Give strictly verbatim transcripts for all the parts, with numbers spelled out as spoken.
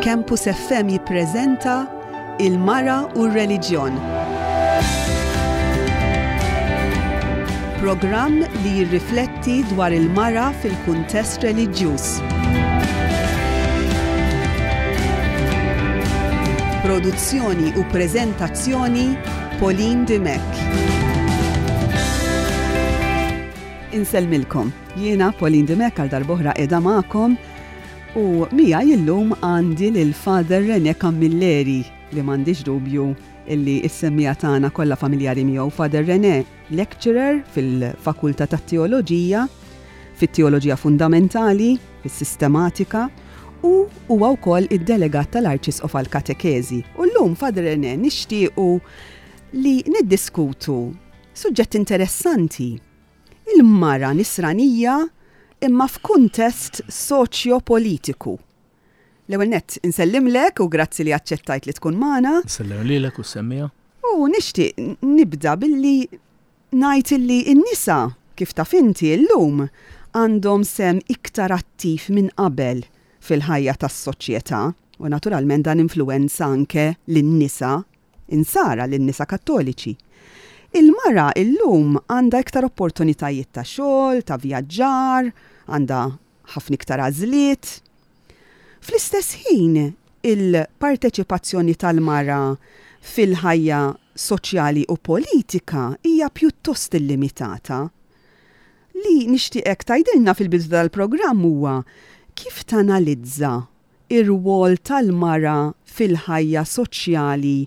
Campus F M jippreżenta Il-Mara u r-Reliġjon. Programm li jirrifletti dwar il-mara fil-kuntest reliġjuż. Produzzjoni u preżentazzjoni, Pauline Dimech. Insellmilkom. Jiena Pauline Dimech, għal darb'oħra qiegħda magħkom u miegħi illum għandi lil Father René Camilleri, li m'għandix dubju illi s-semmiegħa tagħna kollha familjari miegħu. Father René, lecturer fil-Fakultà tat-Teoloġija, fit-Teoloġija Fundamentali, fis-Sistematika, u huwa wkoll id-delegat tal-Arċisqof għal-Katekeżi. U llum, Father René, nixtiequ li niddiskutu suġġett interessanti. Il-mara nisranija imma f'kuntest soċjo-politiku. L-ewwel nett insellimlek u grazzi li aċċettajt li tkun magħna. Nsellem lilek u s-semmiegħa. U nixtieq nibda billi ngħid illi n-nisa, kif taf inti, llum għandhom sehem iktar attiv minn qabel fil-ħajja tas-soċjetà u naturalment dan influwenza anke lin-nisa insara, lin-nisa Kattoliċi. Il-mara illum għandha iktar opportunitajiet ta' xogħol, ta' vjaġġar, għandha ħafna iktar għażliet. Fl-istess ħin, il-parteċipazzjoni tal-mara fil-ħajja soċjali u politika hija pjuttost illimitata. Li nixtieqek tgħidilna fil-bidu tal-programm huwa kif tanalizza ir-rwol tal-mara fil-ħajja soċjali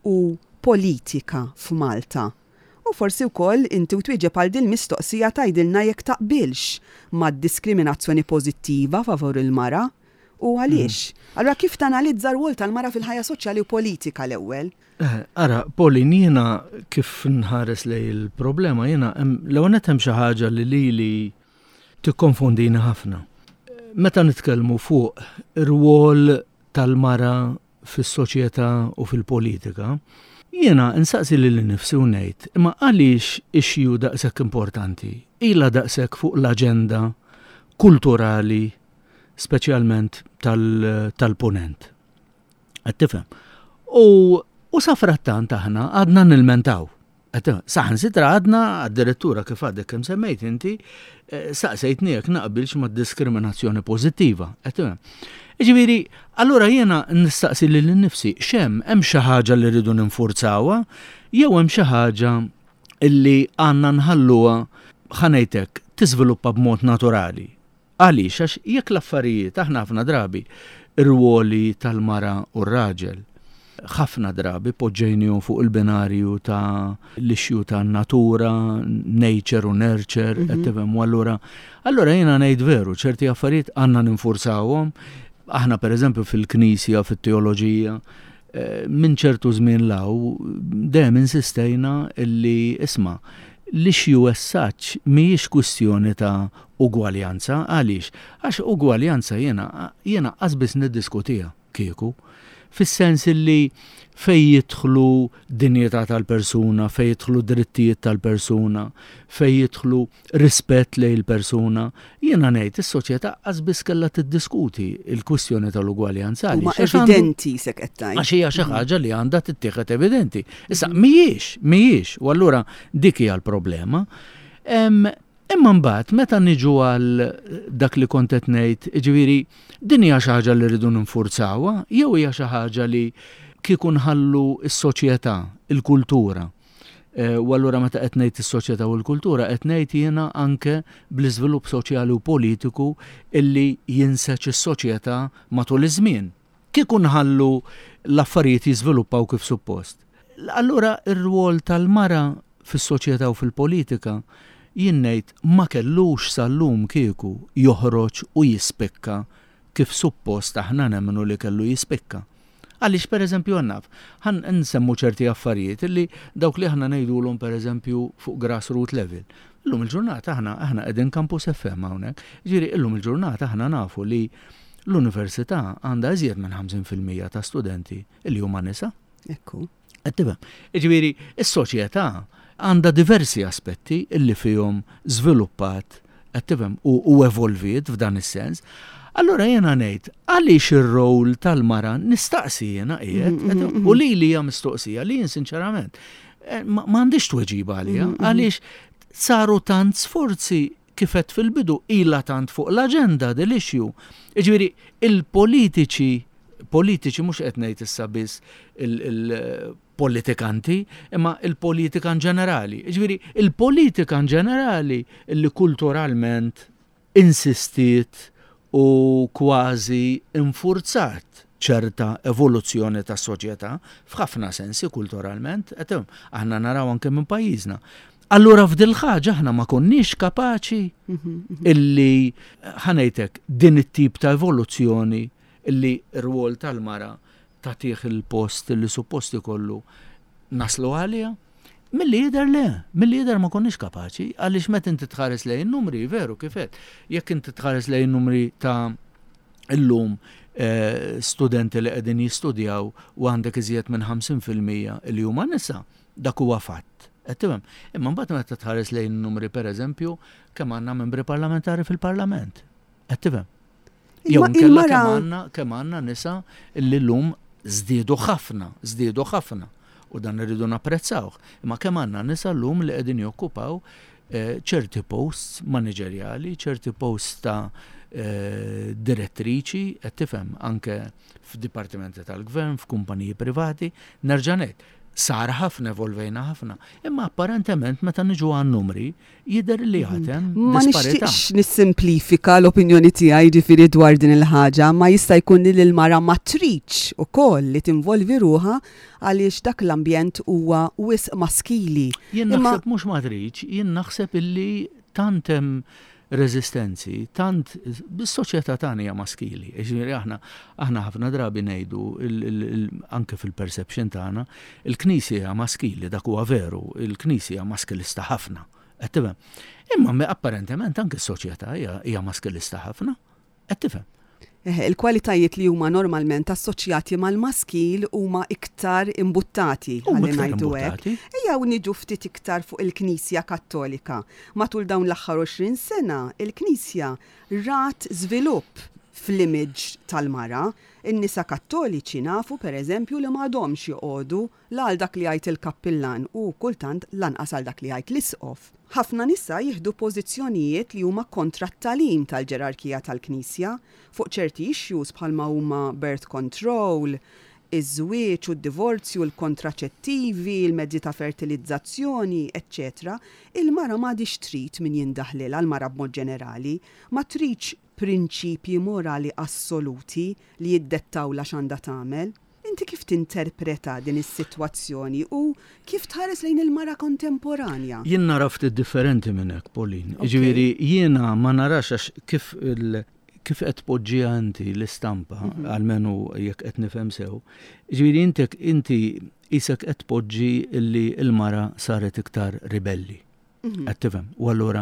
u politika f'Malta. U forsi wkoll inti u twieġeb għal din mistoqsija tgħidilna jekk taqbilx mad-diskriminazzjoni pożittiva favur il-mara u għaliex. Allura, kif tanalizza r-rwol tal-mara fil-ħajja soċjali u politika l-ewwel? Eh, Ara, Pauline, jiena kif nħares lej il-problema, jiena l-ewwel nett hemm xi ħaġa li lili tikkonfondini ħafna. Meta nitkellmu fuq ir-rwol tal-mara fis-soċjetà u fil-politika, jiena nsaqsi lili nnifsi u ngħid, imma għaliex issue daqshekk importanti ilha daqshekk fuq l-aġenda kulturali, speċjalment tal-punent? Qed tifhem? U, u safrattant aħna għadna nilmentaw. Saħansitra għadna addirittura, kif għadek kemm semmejt inti, eh, saqsejtni jekk naqbilx ma' diskriminazzjoni pożittiva. Ġifieri, allura jiena nistaqsi lili nnifsi, x'hemm, hemm xi ħaġa li rridu ninfurzawha jew hemm xi ħaġa illi għandna nħalluha, ħa ngħidlek, tiżviluppa b'mod naturali? Għaliex? Għax jekk l-affarijiet, aħna ħafna drabi ir-ruoli tal-mara u r-raġel ħafna drabi poġġejnihom fuq il-binarju ta' l-issue ta' natura, nature u nurture, mm -hmm. U allura, allura jiena ngħid veru, ċerti affarijiet għandna ninfurzawhom. Aħna, per eżempju, fil-Knisja, fit-teoloġija, eh, minn ċertu żmien 'l hawn dejjem insistejna illi, isma', l-issue as such mhijiex kwistjoni ta' ugwaljanza. Għaliex? Għax ugwaljanza jiena jiena qasbis niddiskutiha kieku. Fis-sens illi fej jidħlu dinjità tal-persuna, fej jidħlu drittijiet tal-persuna, fej jidħlu rispett lejn il-persuna, jiena ngħid is-soċjetà qasbis kellha tiddiskuti il-kwistjoni tal-ugwaljanza. Ma evidenti sek qed tgħid. Għax hija xi ħaġa li għandha tittieħed evidenti. Issa mhijiex, mhijiex, u allura dik hija l-problema. Imma mbagħad meta niġu għal dak li kont qed ngħid, ġifieri din hija xi ħaġa li rridu ninfurzawha jew hija xi ħaġa li kieku nħallu s-soċjetà, il-kultura? Eh, u allura meta qed ngħid is-soċjetà u l-kultura, qed ngħid jiena anke bl-iżvilupp soċjali u politiku illi jinseġ is-soċjetà matul iż-żmien. Kieku nħallu l-affarijiet jiżviluppaw kif suppost. Allura ir-rwol tal-mara fis-soċjetà u fil-politika, jien ngħid, ma kellux sal-lum kieku joħroġ u jispikka kif suppost aħna nemmnu li kellu jispikka. Għaliex, per eżempju, għannaf, ħan nsemmu ċerti affarijiet illi dawk li aħna ngħidulhom, per eżempju, fuq grassroot level. Illum il-ġurnata aħna aħna qegħdin Campus F M hawnhekk. Ġifieri illum il-ġurnata aħna nafu li l-università għandha iżjed minn ħamsin fil-mija ta' studenti illi huma nisa. Ekku. Qed tifhem? Ġifieri, is-soċjetà għandha diversi aspetti illi fihom żviluppat, qed tifhem, u, u evolviet f'dan is-sens. Allura jiena ngħid, għaliex ir-rol tal-mara nistaqsi jiena qiegħed, mm, mm, mm, u li li hija mistoqsija li jien sinċerament eh, m'għandix tweġiba għaliha, għaliex saru tant sforzi kif għedt fil-bidu, ilha tant fuq l-aġenda dil-issue. Jiġifieri il-politiċi, politiċi mhux qed ngħid issa biss il-politikanti, imma il-politika in ġenerali. Jiġifieri il-politika in ġenerali li kulturalment insistiet u kważi infurzat ċerta evoluzzjoni ta' soċjetà f'ħafna sensi kulturalment, qed aħna naraw anke minn pajjiżna. Allura f'dil ħaġa aħna ma konniex kapaċi mhm, mhm. illi ħa ngħidlek din it-tip ta' evoluzzjoni illi r-rwol tal-mara tagħtih il-post li suppost ikollu naslu għalija. Milli jidher le, milli jidher ma konniex kapaċi, għaliex meta inti tħares lejn numri, veru kif għedt, jekk inti tħares lejn numri ta' illum eh, studenti li qegħdin jistudjaw u għandek iżjed minn ħamsin fil-mija li huma nisa, dak huwa fatt. Qed tifhem? Imma mbagħad meta tħares lejn numri, pereżempju, kemm għandna membri parlamentari fil-Parlament. Qed tifhem? Jew nkella kemm għandna kemm għandna nisa li llum żdiedu ħafna, żdiedu ħafna u dan irridu napprezzawh. Imma kemm għandna nisa llum li qegħdin jokkupaw eh, ċerti posts maniġerjali, ċerti posts ta' eh, direttriċi, qed tifhem, anke f'dipartimenti tal-gvern, f'kumpaniji privati, nerġa' ngħid, sar ħafna, evolvejna ħafna. Imma apparentement meta niġu għan numri jidher li għad hemm Ma nixtieqx nissimplifika l-opinjoni tiegħi, ġifieri, dwar din il-ħaġa, ma jista' jkun li l-mara ma tridx ukoll li tinvolvi ruħha għaliex dak l-ambjent huwa wisq maskili. Jien naħseb mhux ma tridx, jien naħseb illi tant hemm reżistenzi, tant bis-soċjetà tagħna hija maskili. Jiġifieri aħna aħna ħafna drabi ngħidu, anke fil-perception tagħna, il-Knisja hija maskili, dak huwa veru, il-Knisja hija maskilista ħafna. Qed tifhem? Imma apparentement anke s-soċjetà hija maskilista ħafna. Qed tifhem? Il-kwalitajiet li huma normalment assoċjati mal-maskil huma iktar imbuttati, ħalli ngħidu hekk. Ejja niġu ftit iktar fuq il-Knisja Kattolika. Matul dawn l-aħħar għoxrin sena, il-Knisja rat żvilupp fl-image tal-mara. In-nisa Kattoliċi nafu, per eżempju, li m'għadhomx joqogħdu la għal dak li jgħid il-kappillan u kultant lanqas għal dak li jgħid l-isqof. Ħafna nisa jieħdu pożizzjonijiet li huma kontra t-tagħlim tal-ġerarkija tal-Knisja fuq ċerti issues bħalma huma birth control, iż-żwieġ u d-divorzju, l-kontraċettivi, il-mezzi ta' fertilizzazzjoni, eċċetera. Il-mara m'għadix trid min jindaħlilha, l-mara b'mod ġenerali, ma tridx prinċipji morali assoluti li jiddettawlha x'għandha tagħmel. Inti kif tinterpreta din is-sitwazzjoni u kif tħares lejn il-mara kontemporanja? Jien nara ftit differenti minn hekk, Pauline. Ġifieri jiena ma narax, għax kif il kif qed tpoġġiha inti l-istampa, mhm. almenu jekk qed nifhem sew. Ġifieri inti inti qisek qed tpoġġi li l-mara saret iktar ribelli. Mhm. Qed tifhem? U allura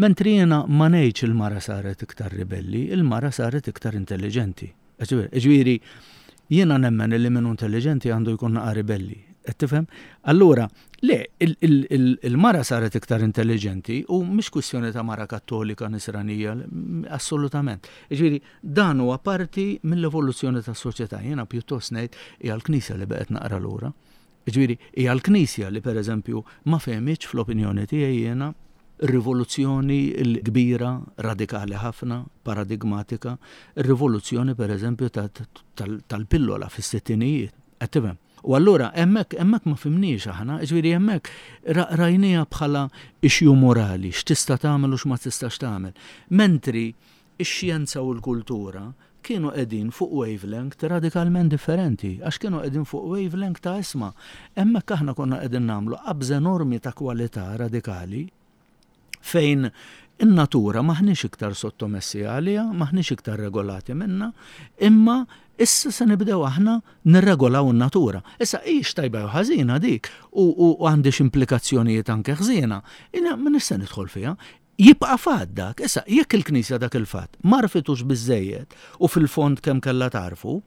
mentri jiena ma ngħidx il-mara saret iktar ribelli, il-mara saret iktar intelligenti. Ġifieri jiena nemmen li min intelligenti għandu jkun naqa ribelli. Qed tifhem? Allura, le, il-mara saret iktar intelligenti u mhix kwistjoni ta' mara Kattolika, Nisranija, assolutament. Ġifieri dan huwa parti mill-evoluzzjoni tas-soċjetà. Jiena pjuttost ngħid hija l-Knisja li baqgħet naqra lura. Ġifieri hija l-Knisja li, pereżempju, ma fehmitx, fl-opinjoni tiegħi jiena, rivoluzzjoni l-kbira, radikali ħafna, paradigmatika, rivoluzzjoni, per eżempju, tal-pillola fis-sittinijiet. Qed tifhem? U allura hemmhekk hemmhekk ma fhimniex aħna, ġifieri hemmhekk rajnieha bħala issue morali, x'tista' tagħmel u x'ma tistax tagħmel. Mentri ix-xjenza u l-kultura kienu qegħdin fuq wavelength radikalment differenti, għax kienu qegħdin fuq wavelength ta' isma'. Hemmhekk aħna konna qegħdin nagħmlu qabża enormi ta' kwalità radikali fejn in-natura maħniex iktar sottomessi għaliha, maħniex iktar regolati minna, imma issa se nibdew aħna nirregolaw in-natura. Issa hijiex tajba jew ħażina dik u, u għandix implikazzjonijiet anke ħżiena, ma nista' nidħol fiha. Jibqa' fatt dak, issa jekk il-Knisja dak il-fatt m'għarfitux biżejjed u fil-fond kemm kellha tarfu,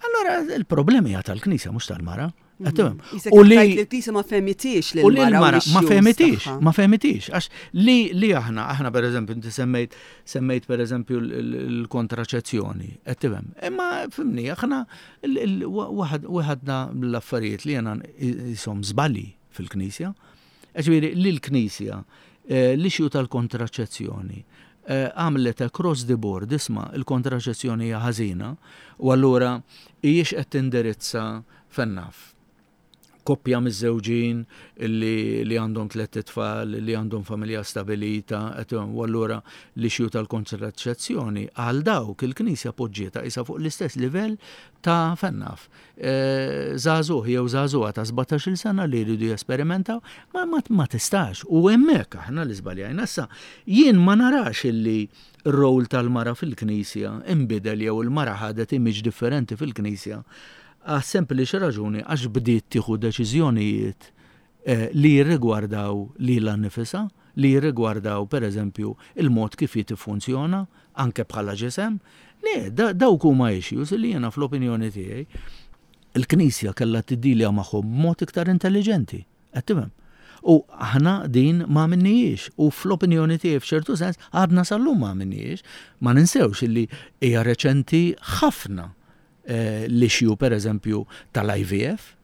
Allora il-problemi hija tal-Knisja, mhux tal-mara. Mhm. U li l-Knisja ma fehmitix U li l-mara ma fehmitix, ma fehmitix, għax li li aħna, aħna per eżempju, inti semmejt, semmejt per eżempju l-kontraċezzjoni, qed tifhem. Imma fhimni, aħna waħedna l-affarijiet li jena jisom żbalji fil-Knisja, ġifieri li l-Knisja eh, l-issue tal-kontraċezzjoni eh, għamlet across the board, isma', il-kontraċezzjoni hija ħażina, u allura hijiex qed tindirizza fejn naf koppja miż-żewġin li, li għandhom tliet itfal, li għandhom familja stabilita, u allura l-issue tal-kontraċezzjoni għal dawk il-Knisja poġġietha isa fuq l-istess livell ta' fejn naf. E, żagħżugħ jew żagħżugħa ta' sbatax-il sena li jridu jesperimentaw, ma, ma, ma tistax. U hemmhekk aħna li żbaljajna. Issa, jien ma narax illi r-rol tal-mara fil-Knisja imbidel jew il-mara ħadet image differenti fil-Knisja għas sempliċi raġuni għax bdiet tieħu deċiżjonijiet eh, li jirrigwardaw lilha nnifisha, li jirrigwardaw per eżempju il-mod kif tiffunzjona anke bħala ġisem. Le, dawk huma issues li jiena fl-opinjoni tiegħi il-Knisja kellha tiddilja magħhom b'mod iktar intelligenti. Qed tifhem? U aħna din ma għamilnihiex u fl-opinjoni tiegħi f'ċertu sens għadna sal-lum ma għamilnihiex. Ma ninsewx illi hija reċenti ħafna eh, l-issue per eżempju tal-I V F.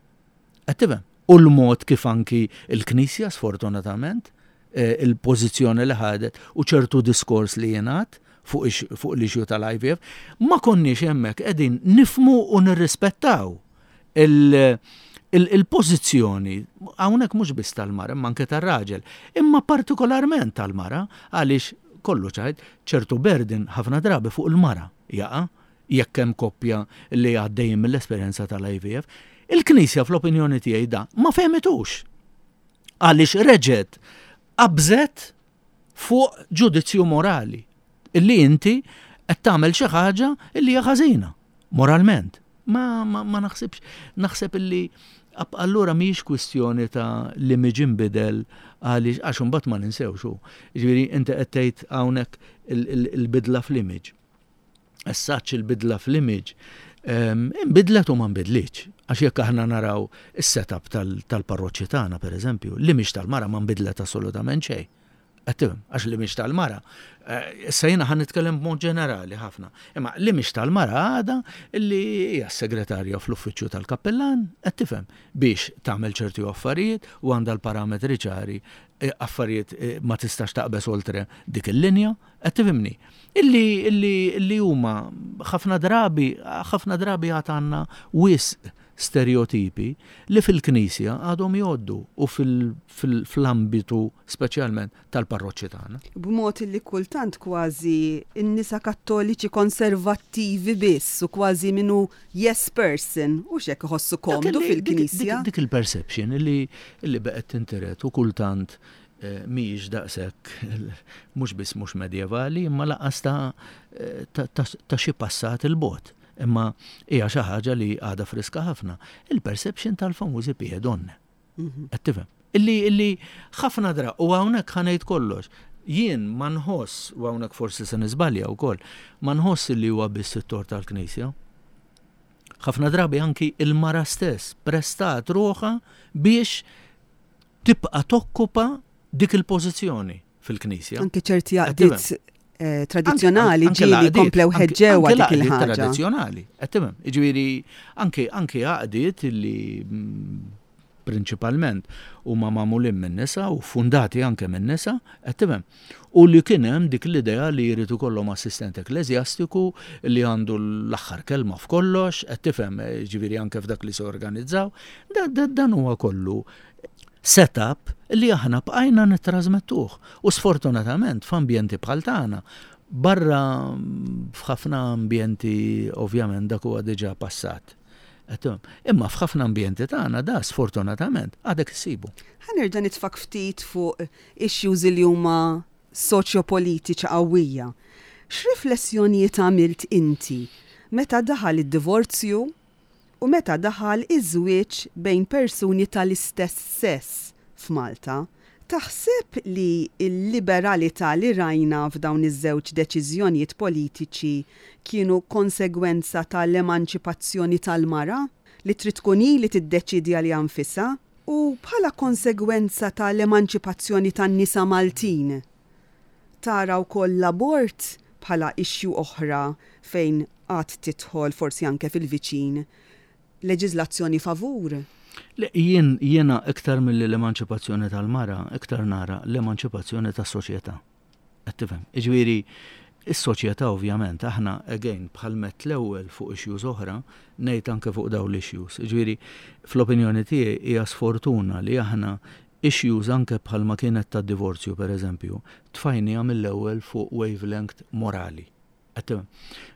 Qed tifhem? U l-mod kif anki il-Knisja sfortunatament eh, il-pożizzjoni li ħadet u ċertu diskors li jingħad fuq fuq l-issue tal-I V F, ma konniex hemmhekk qegħdin nifhmu u nirrispettaw il-pożizzjoni hawnhekk mhux biss tal-mara imma anke tar-raġel, imma partikolarment tal-mara, għaliex kollu ċajt ċertu burden ħafna drabi fuq il-mara jaqa' jekk hemm koppja li għaddejjin mill-esperjenza tal-I V F. Il-Knisja fl-opinjoni tiegħi da ma fehmitux. Għaliex reġgħet qabżet fuq ġudizzju morali illi inti qed tagħmel xi ħaġa illi hija ħażina moralment. Ma, ma, ma naħsibx, naħseb illi allura mhijiex kwistjoni ta' li miġi nbidel għaliex għax imbagħad ma ninsewx hu. Ġifieri inti qed tgħid hawnhekk il-bidla fl-image. Essaċ il-bidla fl-image imbidlet u ma nbidlitx. Għax jekk aħna naraw is-setup tal-parroċċi tagħna pereżempju, l-image tal-mara ma nbidlet assolutament xejn. Qed għax l-image tal-mara, eh, issa jiena ħa nitkellem b'mod ġenerali ħafna, imma l-image tal-mara għada illi hija segretarja fl-uffiċċju tal-kappellan, qed tifhem, biex tagħmel ċerti affarijiet u għandha l-parametri ċari, eh, affarijiet eh, ma tistax taqbeż oltre dik il-linja, qed tifhimni. Illi illi illi huma ħafna drabi, ħafna drabi għad għandna wisq stereotipi li fil-Knisja għadhom jgħoddu u fil-ambitu speċjalment tal-parroċċi tagħna. B'mod li kultant kważi n-nisa kattoliċi konservattivi biss u kważi minu yes person u xek iħossu komdu fil-Knisja. Dik il-perception li li beqgħet tintiret u kultant eh, mhijiex daqshekk, mhux biss mhux medjevali, imma lanqas ta' xi passat il-bogħod, imma hija xi ħaġa li għadha friska ħafna. Il-perception tal-famużi pie donne. Mhm. Qed tifhem? Illi illi ħafna dra u hawnhekk ħa ngħid kollox. Jien ma nħoss, u hawnhekk forsi se niżbalja wkoll, ma nħoss li huwa biss it-tort tal-Knisja. Ħafna drabi anki il-mara stess prestat ruħha biex tibqa' tokkupa dik il-pożizzjoni fil-Knisja. Anki ċerti għaqdiet Eh, tradizjonali ġieli komplew ħeġġewa dik il-ħaġa. Tradizjonali, qed tifhem. Ġifieri anke anke għaqdiet li mm, prinċipalment huma magħmulin minn nisa u fundati anke minn nisa, qed tifhem. U li kien hemm dik l-idea li jrid ikollhom assistent ekkleżjastiku li għandu l-aħħar kelma f'kollox, qed tifhem, ġifieri anke f'dak li se organizzaw. Dan huwa kollu setup li aħna bqajna nittrażmettuh. U sfortunatament f'ambjenti bħal tagħna, barra f'ħafna ambjenti ovvjament dak huwa diġà passat. Imma f'ħafna ambjenti tagħna da sfortunatament għadek issibu. Ħa nerġa' nitfak ftit fuq issues li huma soċjopolitiċi qawwija. X'riflessjonijiet għamilt inti meta daħal id-divorzju u meta daħal iż-żwieġ bejn persuni tal-istess sess f'Malta? Taħseb li l-liberalità li rajna f'dawn iż-żewġ deċiżjonijiet politiċi kienu konsegwenza tal-emanċipazzjoni tal-mara li trid tkun hi li tiddeċidi għaliha nfisha u bħala konsegwenza tal-emanċipazzjoni tan-nisa Maltin? Tara wkoll l-abort bħala issue oħra fejn għad tidħol forsi anke fil-viċin leġiżlazzjoni favur? Le, jien jiena iktar milli l-emanċipazzjoni tal-mara, iktar nara l-emanċipazzjoni tas-soċjetà. Qed tifhem? Jiġifieri, is-soċjetà ovvjament aħna again bħal met l-ewwel fuq issues oħra, ngħid anke fuq dawn l-issues. Jiġifieri, fl-opinjoni tiegħi hija sfortuna li aħna issues anke bħalma kienet tad-divorzju pereżempju, tfajniha mill-ewwel fuq wavelength morali. Qed tifhem?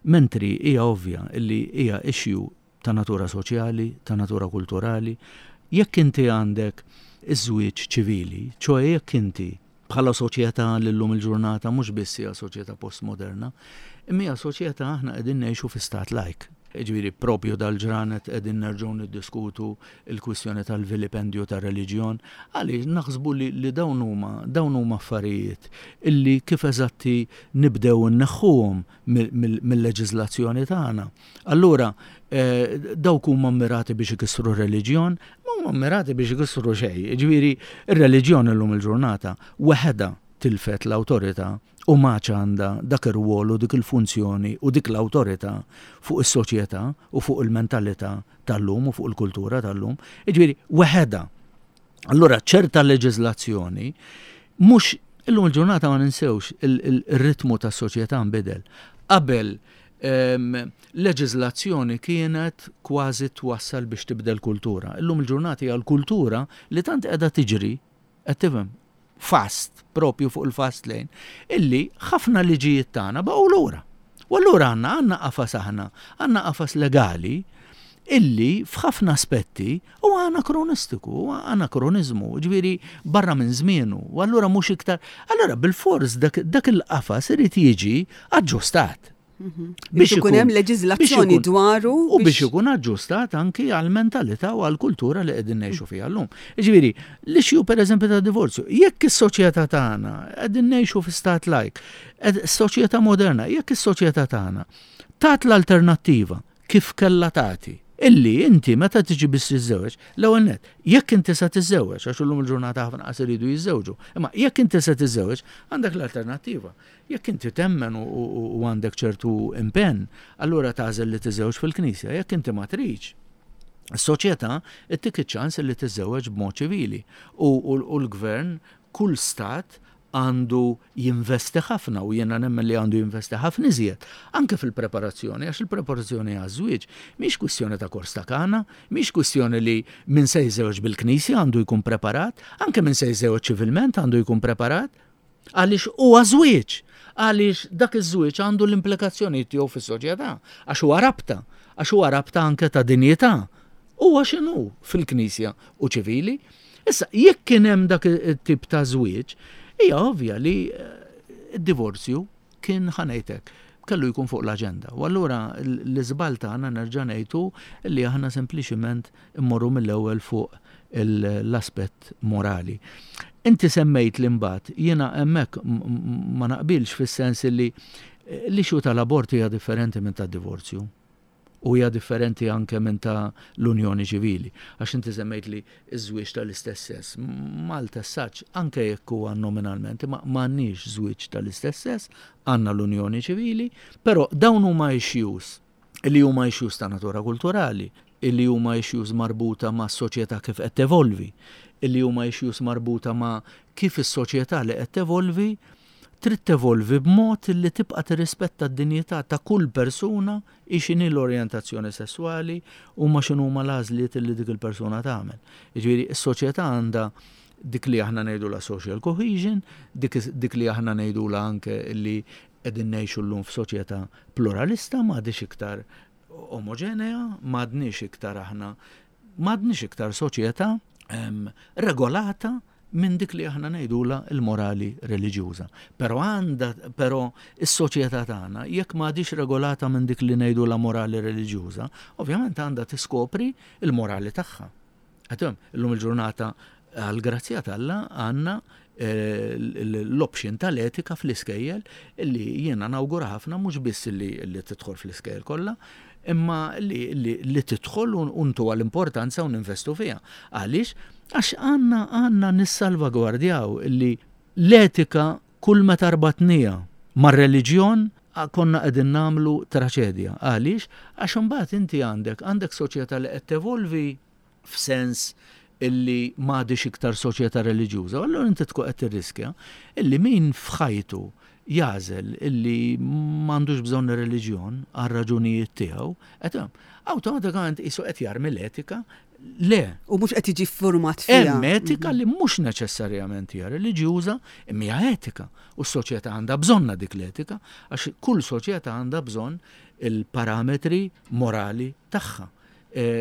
Mentri hija ovvja li hija issue ta' natura soċjali, ta' natura kulturali. Jekk inti għandek iż-żwieġ ċivili, ċoe jekk inti bħala soċjetà li llum il-ġurnata mhux biss hija soċjetà postmoderna, imma hija soċjetà aħna qegħdin ngħixu fi stat lajk. Jiġifieri propju dal-ġranet qegħdin nerġgħu niddiskutu l-kwistjoni tal-vilipendju tar-reliġjon, għaliex naħsbu li, li dawn huma dawn huma affarijiet illi kif eżatti nibdew inneħħuhom mill-leġiżlazzjoni tagħna. Allura eh, dawk huma mmirati biex ikissru r-reliġjon, ma huma mmirati biex ikissru xejn. Jiġifieri ir-reliġjon illum il-ġurnata waħedha tilfet l-awtorità u m'għadx għandha dak ir-rwol u dik il-funzjoni u dik l-awtorità fuq is-soċjetà u fuq il-mentalità tal-lum u fuq il-kultura tal-lum. Jiġifieri waħedha. Allura ċerta leġiżlazzjoni mhux illum il-ġurnata ma ninsewx il-ritmu tas-soċjetà nbidel. Qabel ehm, leġiżlazzjoni kienet kważi twassal biex tibdel kultura. Illum il-ġurnata hija l-kultura li tant qiegħda tiġri, qed tifhem, fast, propju fuq il-fast lane, illi ħafna liġijiet tagħna baqgħu lura. U allura għandna għandna qafas aħna, għandna qafas legali illi f'ħafna aspetti huwa anakronistiku, huwa anakroniżmu, ġifieri barra minn żmienu, u allura mhux iktar. Allura bil-fors dak, dak il-qafas irid jiġi aġġustat. Biex ikun hemm leġiżlazzjoni dwaru u biex ikun aġġustat anki għal-mentalità u għal-kultura li qegħdin ngħixu fiha llum. Jiġifieri, l-issue pereżempju ta' divorzju, jekk is-soċjetà tagħna qegħdin ngħixu fi stat lajk, soċjetà moderna, jekk is-soċjetà tagħna tat l-alternattiva kif kellha tagħti, illi inti meta tiġi biex tiżżewweġ, l-ewwel nett, jekk inti se tiżżewweġ, għax illum il-ġurnata ħafna qas iridu jiżżewġu, imma jekk inti se tiżżewweġ, għandek l-alternattiva. Jekk inti temmen u, u, u għandek ċertu impenn, allura tagħżel li tiżżewweġ fil-knisja, jekk inti ma tridx, is-soċjetà ittik iċ-ċans li tiżżewweġ b'mod ċivili. U, u, u l-gvern, kull stat għandu jinvesti ħafna u jiena nemmen li għandu jinvesti ħafna iżjed anke fil-preparazzjoni, għax il-preparazzjoni għaż-żwieġ mhix kwistjoni ta' kors ta' kana, mhix kwistjoni li min se jiżżewweġ bil-knisja għandu jkun preparat, anke min se jiżżewweġ ċivilment għandu jkun preparat, għaliex huwa żwieġ, għaliex dak iż-żwieġ għandu l-implikazzjoni tiegħu fis-soċjetà, għax huwa rabta, għax huwa rabta anke ta' dinjità. Huwa x'inhu fil-knisja u ċivili. Issa, jekk kien hemm dak it-tip ta' żwieġ, hija ovvja li d-divorzju kien ħanejtek, kellu jkun fuq l-aġenda. U allura l-iżball tagħna nerġa' ngħidu li aħna sempliċiment immorru mill-ewwel fuq l-aspett morali. Inti semmejt li mbagħad jiena hemmhekk ma naqbilx fis-sens li l-issue tal-abort hija differenti minn tad-divorzju. U hija differenti anke minn ta' l-Unjoni Ċivili. Għax inti semmejt li ż-żwieġ tal-istess sess. Malta saċ, anke jekk huwa nominalment, ma m'għandniex żwieġ tal-istess sess, għandna l-Unjoni Ċivili, però dawn huma issues li huma issues ta' natura kulturali, illi huma issues marbuta ma' soċjetà kif qed tevolvi, illi huma issues marbuta ma' kif is-soċjetà li qed tevolvi trid tevolvi b'mod li tibqa' tirrispetta d-dinjità ta' kull persuna x'inhi l-orjentazzjoni sesswali u ma x'inhuma l-għażliet li dik il-persuna tagħmel. Jiġifieri s-soċjetà għandha dik li aħna ngħidulha social cohesion, dik, dik li aħna ngħidulha anke li qegħdin ngħixu llum f'soċjetà pluralista, m'għadix iktar omogenea, m'għadniex iktar aħna, m'għadniex iktar soċjetà, em, regolata minn dik li aħna ngħidulha l-morali reliġjuża. Però għandha, però is-soċjetà tagħna jekk m'għadix regolata minn dik li ngħidulha morali reliġjuża, ovvjament għandha tiskopri l-morali tagħha. Għatem, illum il-ġurnata Għal-grazzja t'Alla għandna eh, l-option tal-etika fl-iskejjel illi jiena nawgura ħafna, mhux biss li, li tidħol fl-iskejjel kollha, imma li, li, li tidħol u ntuha l-importanza u ninvestu fiha. Għaliex? Għax għandna għandna nissalvagwardjaw illi l-etika kull meta rbatnieha mar-reliġjon konna qegħdin nagħmlu traċedja. Għaliex? Għax imbagħad inti għandek għandek soċjetà li qed tevolvi f'sens illi m'għadix iktar soċjetà reliġjuża. Allura inti tkun qed tirriskja illi min f'ħajtu jagħżel illi m'għandux bżonn ir-reliġjon għal raġunijiet tiegħu, qed awtomatikament qisu qed jarmi l-etika. Le. U mhux qed jiġi format fiha. Hemm etika li mhux neċessarjament hija reliġjuża, imma hija etika. U s-soċjetà għandha bżonna dik l-etika, għax kull soċjetà għandha bżonn il-parametri morali tagħha.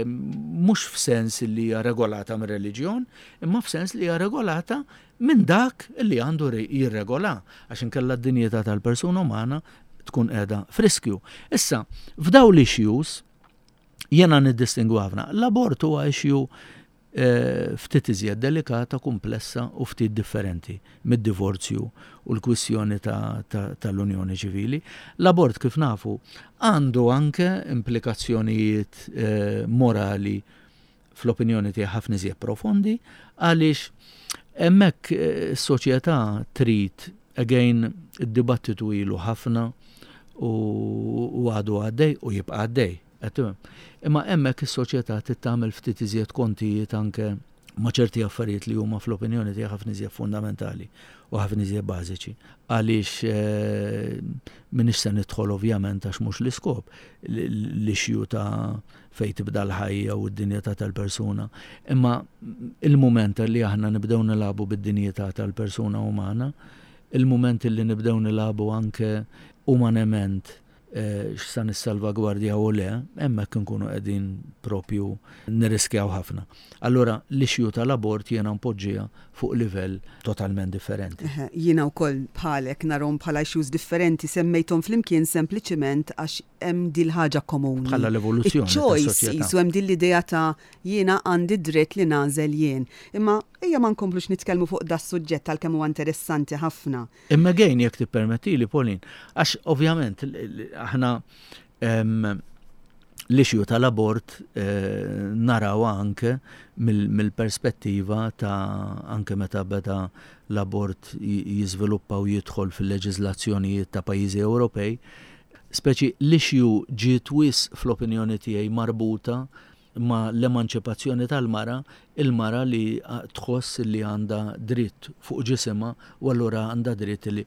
Mhux f'sens li hija regolata mir reliġjon, imma f'sens li hija regolata minn dak li għandu jirregola, għax inkella d-dinjità tal-persuna umana tkun qiegħda f'riskju. Issa, f'daw l-issues jiena niddistingwu ħafna. L-abort huwa issue eh, ftit iżjed delikata, komplessa u ftit differenti mid-divorzju u l-kwissjoni tal-Unjoni Ċivili. L-abort, kif nafu, għandu anke implikazzjonijiet eh, morali, fl-opinjoni tiegħi ħafna iżjed profondi, għaliex hemmhekk eh, s-soċjetà trid, again, id-dibattitu ilu ħafna u għadu għaddej u jibqa' għaddej. Imma hemmhekk is-soċjetà trid tagħmel ftit iżjed kontijiet anke ma' ċerti affarijiet li huma fl-opinjoni tiegħi ħafna iżjed fundamentali u ħafna iżjed bażiċi. Għaliex eh, m'iniex se nidħol, ovvjament, għax mhux l-iskop, l-issue ta' fejn tibda l-ħajja u d-dinjità tal-persuna. Imma il-mument li aħna nibdew nilagħbu bid-dinjità tal-persuna umana, il-mument li nibdew nilagħbu anke umanament eh, x'sa nissalvagwardja u le, hemmhekk nkunu qegħdin propju nirriskjaw ħafna. Allura l-issue tal-abort jiena npoġġiha fuq livell totalment differenti. Jiena wkoll bħalek narahom bħala issues differenti, semmejthom flimkien sempliċiment għax hemm dil ħaġa komuni. Bħala l-evoluzzjoni. Choice, jisu hemm din l-idea ta' jiena għandi dritt li nagħżel jien. Imma ejja ma nkomplux nitkellmu fuq da suġġett għalkemm huwa interessanti ħafna. Imma again, jekk tippermettili, Pauline, għax ovvjament aħna l-issue tal-abort eh, naraw anke mill-perspettiva ta' anke meta beda l-abort jiżviluppa u jidħol fil-leġiżlazzjonijiet ta' pajjiżi Ewropej, speċi l-issue ġiet wisq, fl-opinjoni tiegħi, marbuta ma l-emanċipazzjoni tal-mara, il-mara li tħoss li għandha dritt fuq ġisimha u allura għandha dritt li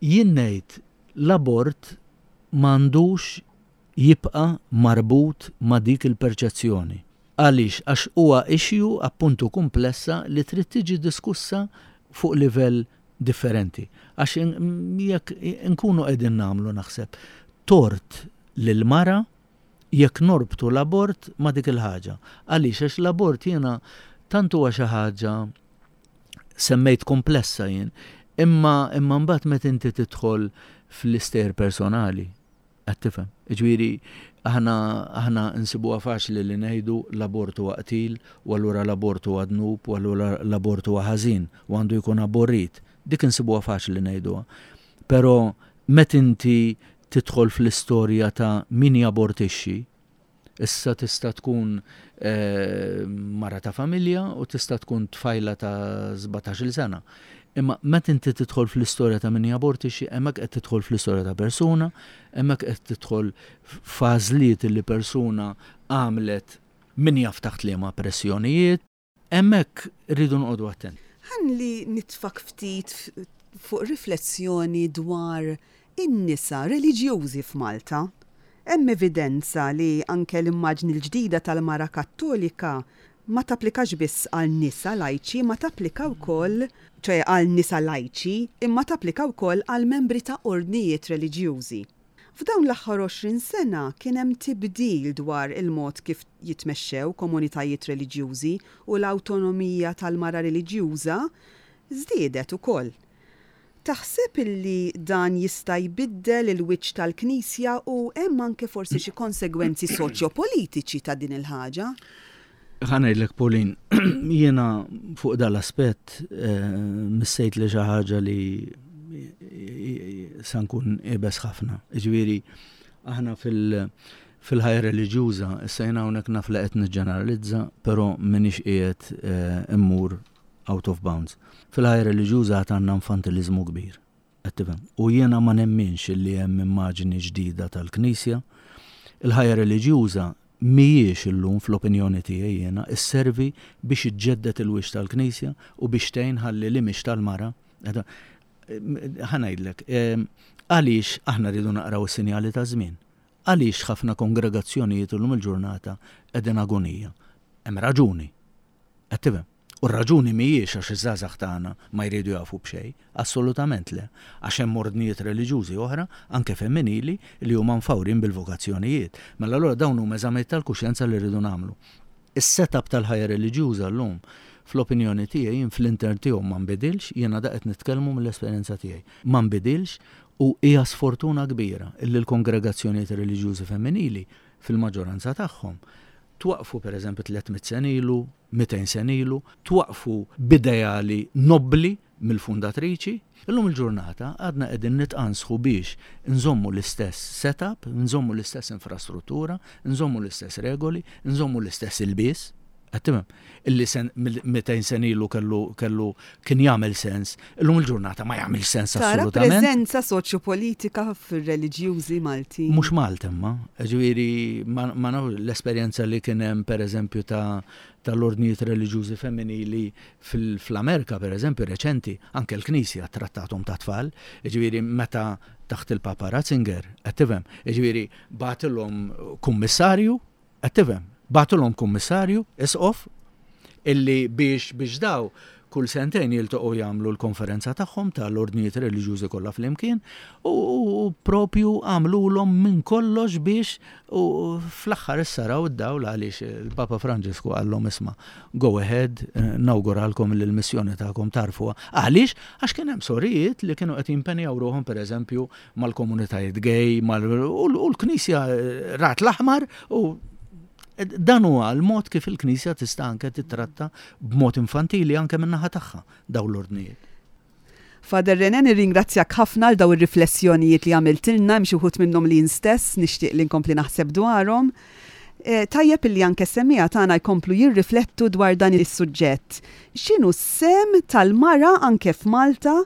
jien ngħid l-abort m'għandux jibqa marbut ma' dik il-perċezzjoni. Għaliex? Għax huwa issue appuntu komplessa li trid tiġi diskussa fuq livell differenti. Għax jekk nkunu qegħdin nagħmlu, naħseb, tort lil-mara jekk norbtu l-abort ma' dik il-ħaġa. Għaliex? Għax l-abort jiena tant huwa xi ħaġa, semmejt komplessa jien, imma imma mbagħad meta inti tidħol fl-istejjer personali, qed tifhem? Ġifieri aħna aħna nsibuha faċli li ngħidu l-abort huwa qtil u allura l-abort huwa dnub u allura l-abort huwa ħażin u għandu jkun aborrit. Dik insibuha faċli ngħiduha. Però meta inti tidħol fl-istorja ta' min jabortixxi, issa tista' tkun eh, mara ta' familja u tista' tkun tfajla ta' sbatax-il sena. Imma meta inti tidħol fl-istorja ta' min jabortixxi, hemmhekk qed tidħol fl-istorja ta' persuna, hemmhekk qed tidħol f'għażliet li persuna għamlet min jaf taħt liema pressjonijiet, hemmhekk rridu noqogħdu attenti. Ħalli nitfak ftit fuq riflessjoni dwar in-nisa reliġjużi f'Malta. Hemm evidenza li anke l-immaġni l-ġdida tal-mara Kattolika ma tapplikax biss għal nisa lajċi, ma tapplika wkoll, ċoè għal nisa lajċi, imma tapplika wkoll għal membri ta' ordnijiet reliġjużi. F'dawn l-aħħar għoxrin sena kien hemm tibdil dwar il-mod kif jitmexxew komunitajiet reliġjużi u l-awtonomija tal-mara reliġjuża żdiedet ukoll. Taħseb illi dan jista' jbiddel il-wiċċ tal-Knisja u hemm anke forsi xi konsegwenzi soċjopolitiċi ta' din il-ħaġa? Ħa ngħidlek, Pauline, jiena fuq dal-aspett eh, missejt li xi ħaġa li sa nkun iebes ħafna. Ġifieri, aħna fil- fil-ħajja reliġjuża, issa jiena hawnhekk naf li qed niġġeneralizza, però m'iniex qiegħed eh, immur out of bounds. Fil-ħajja reliġjuża għad għandna infantilizmu kbir. Qed tifhem? U jiena ma nemminx li hemm immaġni ġdida tal-Knisja. Il-ħajja reliġjuża mhijiex illum, fl-opinjoni tiegħi jiena, isservi biex iġġedded il-wix tal-Knisja u biex tgħin ħalli l-image tal-mara. Ħa ngħidlek, għaliex aħna rridu naqraw is-sinjali ta' żmien. Għaliex ħafna kongregazzjonijiet illum il-ġurnata qegħdin agonija? Hemm raġuni. Qed tifhem? U r-raġuni mhijiex għax iż-żgħażagħ tagħna ma jridu jafu b'xejn, assolutament le. Għax hemm ordnijiet reliġjużi oħra, anke femminili, li huma mfawrin bil-vokazzjonijiet. Mela allura dawn huma eżamijiet tal-kuxjenza li rridu nagħmlu. Is-setup tal-ħajja reliġjuża llum, fl-opinjoni tiegħi, jien fl-intern tiegħu ma nbidilx, jiena da qed nitkellmu mill-esperjenza tiegħi. Ma nbidilx u hija sfortuna kbira illi l-kongregazzjonijiet reliġjużi femminili fil-maġġoranza tagħhom twaqfu per eżempju tliet mitt sena ilu, mitejn sena ilu, twaqfu b'ideali nobli mill-fundatriċi. Illum il-ġurnata għadna qegħdin nitqansħu biex nżommu l-istess setup, nżommu l-istess infrastruttura, nżommu l-istess regoli, nżommu l-istess ilbies. Qed tifhem? Illi sen mitejn sena ilu kellu kellu kien jagħmel sens, illum il-ġurnata ma jagħmel sens Tara assolutament. preżenza soċjopolitika fir-reliġjużi Malti. Mhux Malta imma, ġifieri ma, ma nafx l-esperjenza li kien hemm pereżempju ta' tal-ordnijiet reliġjużi femminili fil-Amerika pereżempju reċenti, anke l-Knisja trattathom ta' tfal, ġifieri meta taħt il-Papa Ratzinger, qed tifhem, ġifieri bagħtilhom kummissarju, qed tifhem, bagħtilhom kummissarju, isqof, illi biex biex daw kull sentejn jiltaqgħu jagħmlu l-konferenza tagħhom tal-ordnijiet reliġjużi kollha flimkien u, u propju għamlulhom minn kollox biex u fl-aħħar issa raw id-dawl għaliex il-Papa Franġisku qallhom, "Isma', go ahead, eh, nawguralkom li l-missjoni tagħkom tarfuha." Għaliex? Għax kien hemm sorijiet li kienu qed jimpenjaw ruħhom pereżempju mal-komunitajiet gay mal u l-Knisja eh, rat l-aħmar u dan huwa l-mod kif il-Knisja tista' anke titratta b'mod infantili anke min-naħa tagħha dawn l-ordnijiet. Father René, nirringrazzjak ħafna għal daw ir-riflessjonijiet li għamiltilna, hemm xi wħud minnhom li jien stess nixtieq li nkompli naħseb dwarhom. E, tajjeb illi anke semmiegħa tagħna jkomplu jirriflettu dwar dan is-suġġett. X'inhu s-sehem tal-mara anke f'Malta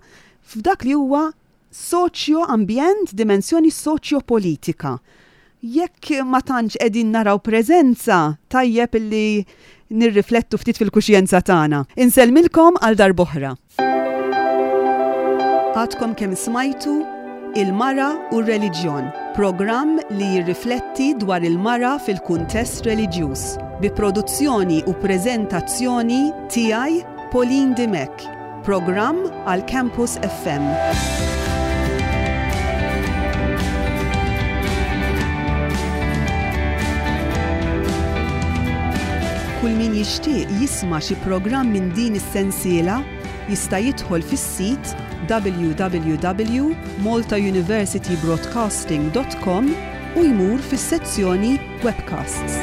f'dak li huwa soċjo-ambjent, dimensjoni soċjo-politika? Jekk ma tantx qegħdin naraw preżenza, tajjeb illi nirriflettu ftit fil-kuxjenza tagħna. Insellmilkom għal darb'oħra. Għadkom kemm smajtu Il-Mara u r-Reliġjon, programm li jirrifletti dwar il-mara fil-kuntest reliġjuż, bi produzzjoni u preżentazzjoni tiegħi, Pauline Dimech, programm għal Campus F M. Kull min jixtieq jisma' xi programm minn din is-sensiela jista' jidħol fis-sit w w w punt maltauniversitybroadcasting punt com u jmur fis-sezzjoni Webcasts.